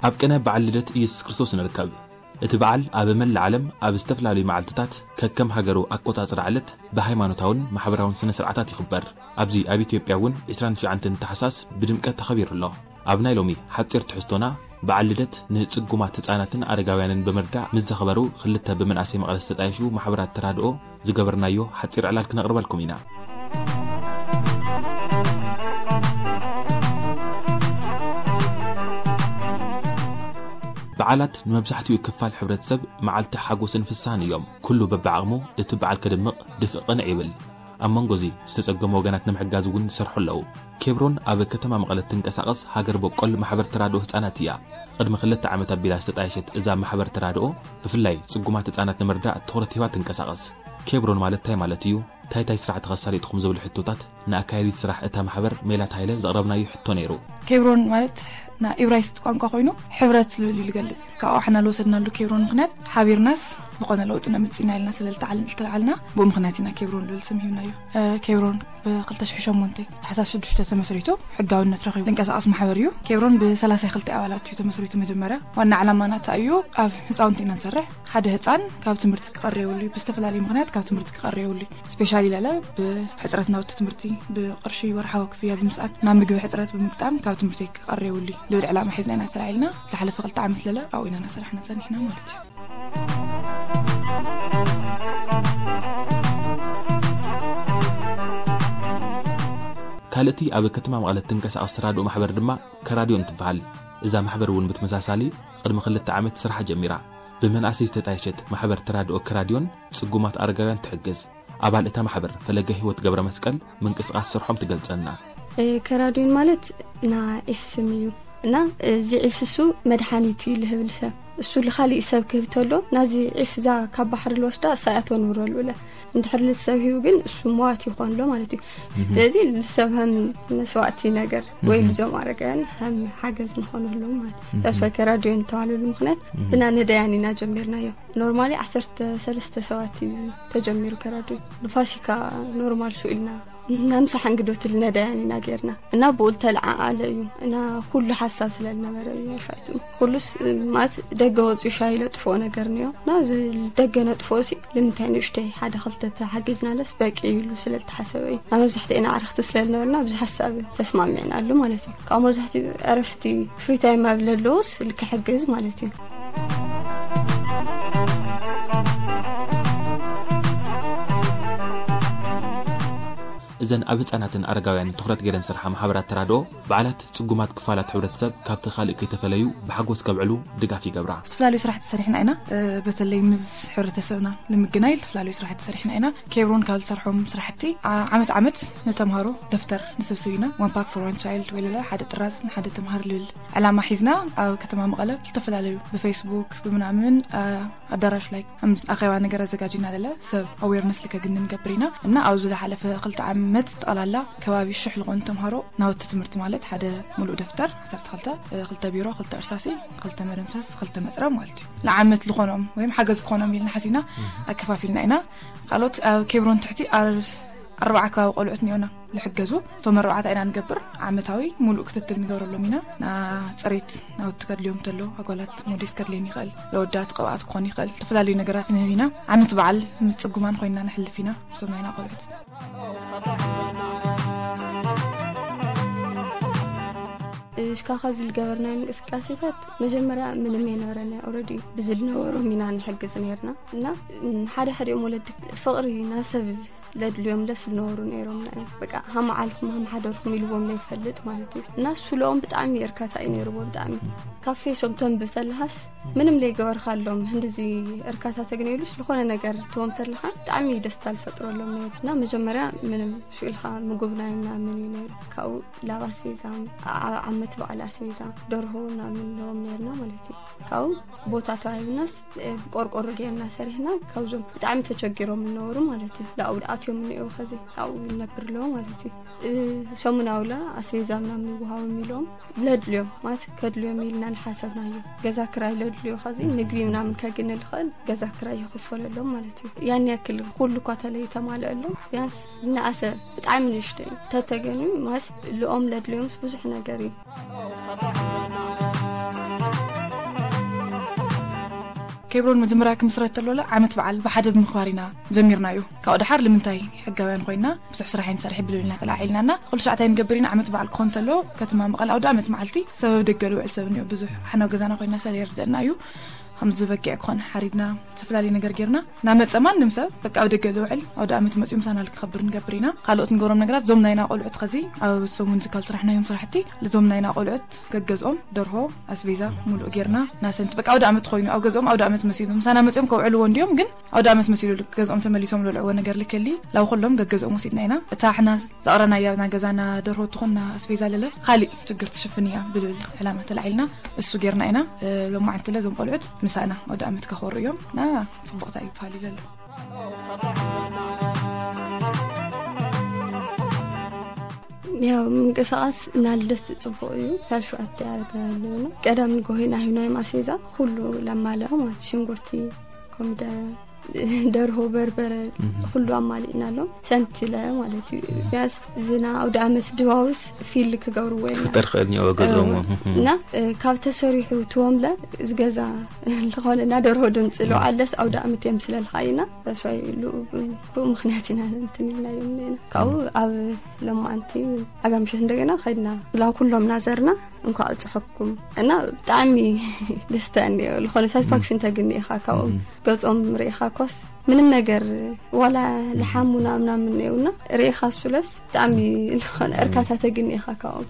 ኣብ ቅነ በዓል ልደት ኢየሱስ ክርስቶስ ንርከብ። እቲ በዓል ኣብ መላእ ዓለም ኣብ ዝተፈላለዩ መዓልትታት ከከም ሃገሩ ኣቆጻጽራ ዕለት ብሃይማኖታውን ማሕበራውን ስነ ስርዓታት ይኽበር። ኣብዚ ኣብ ኢትዮጵያ እውን ዕስራን ትሽዓተን ታሕሳስ ብድምቀት ተኸቢሩ ኣሎ። ኣብ ናይ ሎሚ ሓጺር ትሕዝቶና፣ በዓል ልደት ንጽጉማት ህጻናትን ኣረጋውያንን ብምርዳእ ምስ ዘኽበሩ ክልተ ብመንኣሰይ መቐለ ዝተጣየሹ ማሕበራት ተራድኦ ዝገበርናዮ ሓጺር ዕላል ክነቕርበልኩም ኢና። በዓላት ንመብዛሕትኡ ክፋል ሕብረተሰብ መዓልቲ ሓጎስን ፍስሃን እዮም። ኩሉ በብዓቕሙ እቲ በዓል ከድምቕ ድፍእ ቅንዕ ይብል። ኣብ መንጎ እዚ ዝተጸገሙ ወገናት ንምሕጋዝ እውን ዝሰርሑ ኣለዉ። ኬብሮን ኣብ ከተማ መቐለ ትንቀሳቐስ ሃገር በቆል ማሕበር ተራድኦ ህጻናት እያ። ቅድሚ ክልተ ዓመት ኣቢላ ዝተጣየሸት እዛ ማሕበር ተራድኦ ብፍላይ ጽጉማት ህጻናት ንምርዳእ ትኹረት ሂባ ትንቀሳቐስ። ኬብሮን ማለት እንታይ ማለት እዩ? እንታይ እንታይ ስራሕቲ ከሳሊጥኹም ዝብል ሕቶታት ንኣካያዲት ስራሕ እታ ማሕበር ሜላት ሃይለ ዘቕረብናዮ ሕቶ ነይሩ። ኬብሮን ማለት ናይ ኢብራይስጥ ቋንቋ ኮይኑ ሕብረት ዝብል እዩ ዝገልጽ። ካብኡ ሓና ዝወሰድናሉ ኬብሮን ምኽንያት ሓቢርናስ ዝኾነ ለውጢ ነምጽእ ኢና ኢልና ስለ ዝተዓል-፣ ዝተለዓልና ብኡ ምኽንያት ኢና ኬብሮን ዝብል ስም ሂብናዮ። እ፣ ኬብሮን ብ2008 ታሕሳስ ሽዱሽተ ተመስሪቱ ሕጋውነት ረኺቡ ዝንቀሳቐስ ማሕበር እዩ። ኬብሮን ብ32 ኣባላት እዩ ተመስሪቱ። መጀመርያ ዋና ዓላማ ናታ እዩ ኣብ ህፃውንቲ ኢና ንሰርሕ። ሓደ ህፃን ካብ ትምህርቲ ክቐር የብሉ እዩ። ብዝተፈላለዩ ምኽንያት ካብ ትምህርቲ ክቐር የብሉ እዩ። ስፔሻሊ ለለ ብሕፅረት ናውቲ ትምህርቲ፣ ብቅርሺ ወርሓዊ ክፍያ ብምስኣን፣ ናብ ምግቢ ሕፅረት ብምግጣም ካብ ትምህርቲ ክቐር የብሉ እዩ። ልብል ዕላማ ሒዝና ኢና ተላዒልና። ዝሓለፈ ክልተ ዓመት ለለ ኣብኡ ኢና እናሰራሕና ጸኒሕና ማለት እዩ። ካልእቲ ኣብ ከተማ መቐለ ትንቀሳቐስ ተራድኦ ማሕበር ድማ ከራድዮን ትበሃል። እዛ ማሕበር እውን ብተመሳሳሊ ቅድሚ ክልተ ዓመት ስራሓ ጀሚራ። ብመናእሰይ ዝተጣየሸት ማሕበር ተራድኦ ከራድዮን ጽጉማት ኣረጋውያን ትሕግዝ። ኣባል እታ ማሕበር ፈለገ ህይወት ገብረ መስቀል ምንቅስቃስ ስርሖም ትገልጸልና። እ፣ ከራድዮን ማለት ና ዒፍ ስም እዩ። እና እዚ ዒፍ እሱ መድሓኒት እዩ ልህብል ሰብ። እሱ ልኻሊእ ሰብ ክህብ ተሎ ናዚ ዒፍ እዛ ካብ ባሕሪ ልወስዳ እሳ እያ ተንብረሉ እለ። እንድሕር ልሰብ ሂቡ ግን እሱ መዋት ይኾን ኣሎ ማለት እዩ። ስለዚ ልሰብ ከም መስዋእቲ ነገር ወይ ልዞም ኣረጋውያን ከም ሓገዝ ንኾነሎም ማለት እዩ። ዳስዋይ ከራድዮን ተባለሉ ምኽንያት ብና ነዳያን ኢና ጀሚርናዮ። ኖርማሊ ዓሰርተ ሰለስተ ሰባት እዩ ተጀሚሩ ከራድዮ። ብፋሲካ ኖርማል ስኢልና ናምሳ ሓንግዶት ልነዳያን ኢና ጌርና። እና ብኡ ልተለዓዓለ እዩ። እና ኩሉ ሓሳብ ስለ ልነበረ እዩ ሻይቱ። ኩሉስ ማለት ደገ ወፂኡ ሻይ ለጥፍኦ ነገር ነዮ። እና እዚ ደገ ነጥፍኦ ሲ ልምንታይ ንእሽተይ ሓደ ክልተ ተሓጊዝናለስ በቂ እዩ ኢሉ ስለ ልተሓሰበ እዩ። እና መብዛሕትኤና ኣዕርኽቲ ስለ ልነበርና ኣብዚ ሓሳብ ተስማሚዕናሉ ማለት እዩ። ካብ መብዛሕትኡ ዕረፍቲ ፍሪ ታይም ኣብ ለለዎስ ልክሕግዝ ማለት እዩ። እዘን ኣብ ህጻናትን ኣረጋውያንን ትኹረት ገይረን ዝሰርሓ ማሕበራት ተራድኦ፣ በዓላት ጽጉማት ክፋላት ሕብረተሰብ ካብቲ ካልእ ከይተፈለዩ ብሓጎስ ከብዕሉ ድጋፍ ይገብራ። ዝተፈላለዩ ስራሕቲ ሰሪሕና ኢና። እ፣ በተለይ ምስ ሕብረተሰብና ንምግናይ ዝተፈላለዩ ስራሕቲ ሰሪሕና ኢና። ኬብሮን ካብ ዝሰርሖም ስራሕቲ፣ ዓ-፣ ዓመት ዓመት ንተምሃሮ ደፍተር ንስብስብ ኢና። One pack for one child ወይ ለለ ሓደ ጥራዝ ንሓደ ተምሃር ልብል ዕላማ ሒዝና ኣብ ከተማ መቐለ ዝተፈላለዩ ብፌስቡክ ብምናምን፣ አ፣ ኣዳራሽ ላይ ከም ኣኼባ ነገር ኣዘጋጅና ለለ ሰብ ኣዌርነስ ልከግኒ ንገብር ኢና። እና ኣብዚ ዝሓለፈ ክልተ ዓመት ጠቕላላ ከባቢ ሽሕ ዝኾኑ ተምሃሮ ናውቲ ትምህርቲ ማለት ሓደ ሙሉእ ደፍተር ዓሰርተ ክልተ፣ እ፣ ክልተ ቢሮ፣ ክልተ እርሳሲ፣ ክልተ መደምሰስ፣ ክልተ መፅረብ ማለት እዩ። ንዓመት ዝኾኖም ወይም ሓገዝ ክኾኖም ኢልና ሓሲብና ኣከፋፊልና ኢና። ካልኦት ኣብ ኬብሮን ትሕቲ ኣር-፣ ኣርባዓ ከባቢ ቆልዑት እኒኦና ልሕገዙ። እቶም ኣርባዕታ ኢና ንገብር። ዓመታዊ ሙሉእ ክትትል ንገብረሎም ኢና። ና-፣ ፅሬት ናውቲ ከድልዮም ተሎ፣ ኣጓላት ሞዴስ ከድልየን ይኽእል፣ ለወዳት ቅብኣት ክኾን ይኽእል፣ ዝተፈላለዩ ነገራት ንህብ ኢና። ዓመት በዓል ምስ ፅጉማን ኮይንና ንሕልፍ ኢና። እዞም ናይና ቆልዑት። እሽካኻ ዝልገበርናይ ምንቅስቃሴታት መጀመርያ ምንም የነበረና። ኦልሬዲ ብዝልነበሮም ኢና ንሕግዝ ነርና። እና፣ ም፣ ሓደ ሓዲኦም ወለዲ ፍቕሪ ናሰብ ለድልዮም ለስ ዝነበሩ ነይሮም። ናይ በቃ ሃም ዓልኩም ሃም ሓደርኩም ኢልዎም ለይፈልጥ ማለት እዩ። እና እሱ ለኦም ብጣዕሚ እርካታ እዩ ነይርዎ። ብጣዕሚ ካብ ፌሶም ተንብብ ተለሃስ ምንም ለይገበርካሎም ህንድዚ እርካታ ተግነይሉስ ዝኾነ ነገር ትቦም ተለኻ ብጣዕሚ ደስታ ዝፈጥረሎም ነይሩ። እና መጀመርያ ምንም ስኢልካ ምግብ ናይ ምናምን እዩ ነይሩ። ካብኡ ላብ ኣስቤዛ፣ ዓ-፣ ዓመት በዓል ኣስቤዛ፣ ደርሆ ምናምን ነዎም ነይርና ማለት እዩ። ካብኡ ቦታ ተዋሂብናስ፣ እ፣ ብቆርቆሮ ጌርና ሰሪሕና፣ ካብዞም ብጣዕሚ ተቸጊሮም ዝነበሩ ማለት እዩ። ላኡ ኣትዮም እኒኦ ኸዚ ኣብኡ ይነብር ኣለዎ ማለት እዩ። እ፣ ሰሙናዊ ላ ኣስቤዛ ምናምን ይወሃቦም ኢሎም ለድልዮም ማለት ከድልዮም ኢልና ልሓሰብናዮ። ገዛ ክራይ ለድልዮ ኸዚ ምግቢ ምናምን ከግኒ ልኽእል ገዛ ክራይ ይኽፈለሎም ማለት እዩ። ያን ያክል ኩሉ እኳ ተለይተማልአሎም ቢያንስ ዝነኣሰ ብጣዕሚ ንእሽቶ እዩ። ተተገንዩ ማስ ልኦም ለድልዮምስ ብዙሕ ነገር እዩ። ኬብሮን መጀመርያ ክምስረት ተሎ ዓመት በዓል ብሓደ ብምኽባር ኢና ጀሚርና እዩ። ካብኡ ደሓር ልምንታይ ሕጋውያን ኮይና ብዙሕ ስራሕ ኣይንሰርሕ ብልብል ኢና ተላዒልና እና ኩሉ ሻዕታይ ንገብር ኢና። ዓመት በዓል ክኾን ተሎ ከተማ መቐል ኣውደ ዓመት መዓልቲ ሰበብ ደገ ልውዕል ሰብ እኒኦ ብዙሕ ሓናው ገዛና ኮይና ሰብ የርድአና እዩ። ከምዚ በጊዕ ክኾን ሓሪድና ዝተፈላለዩ ነገር ጌርና እናመፀ ማንም ሰብ በቃ ኣብ ደገ ልውዕል ኣውደ ዓመት መፅኡ ምሳና ልክኸብር ንገብር ኢና። ካልኦት ንገብሮም ነገራት ዞም ናይና ቆልዑት ኸዚ ኣብ ሰሙን ዝካል ስራሕናዮም ስራሕቲ ልዞም ናይና ቆልዑት ገገዝኦም ደርሆ ኣስቤዛ ሙሉእ ጌርና ናሰንቲ በቃ ኣውደ ዓመት ኮይኑ ኣብ ገዝኦም ኣውደ ዓመት መሲሉ ምሳና መፅኦም ከውዕልዎ እንዲዮም ግን ኣውደ ዓመት መሲሉ ገዝኦም ተመሊሶም ልልዕዎ ነገር ልከሊ ላው ኩሎም ገገዝኦም ወሲድና ኢና። እታ ሕና ዘቕረናያ ና ገዛና ደርሆ ትኾንና ኣስቤዛ ለለ ካሊእ ችግር ትሽፍን እያ ብልብል ዕላማ ተላዒልና እሱ ጌርና ኢና። ሎማዓንቲ ለ ዞም ቆልዑት ምሳና ኣውደ ዓመት ከኸሩ እዮም ና ፅቡቕታ ይበሃል ይለሉ። ያው ምንቅስቃስ ናልደት ጽቡቅ እዩ። ካብ ሸውዓተ ያረጋሉ ነው። ቀዳም ንጎሆ ኢና ሂብናዮም ኣስቤዛ ኩሉ ለማለኦ ማለት ሽንጉርቲ፣ ኮሚደረ፣ ደርሆ፣ በርበረ ኩሉ ኣማሊእናሎም ሰንቲለ ማለት እዩ። ቢያንስ ዝና ኣውደ ዓመት ድባውስ ፊል ክገብርዎ ኢልና ክፍጠር ክእል ኒኦ ገዝኦም እና ካብ ተሰሪሑ ትወምለ ዝገዛ ዝኾነ እና ደርሆ ድምፂ ለውዓለስ ኣውደ ዓመት የምስለልካ ኢና። ተስፋ ብኡ ምክንያት ኢና እንትን ኢልናዮም ኔና ካብኡ ኣብ ለማዓንቲ ኣጋምሸት እንደገና ከድና ላ ኩሎም ናዘርና እንኳዕ ኣብፀሐኩም እና ብጣዕሚ ደስታ እንዲዮ ዝኾነ ሳቲስፋክሽን ተግኒ ኢኻ ካብኦም ገፆም ርኢኻ ኮስ ምንም ነገር ዋላ ልሓሙና ምናምን ነውና ርኢኻ ሱለስ ብጣዕሚ ዝኾነ እርካታ ተግኒ ኢኻ ካብኦም።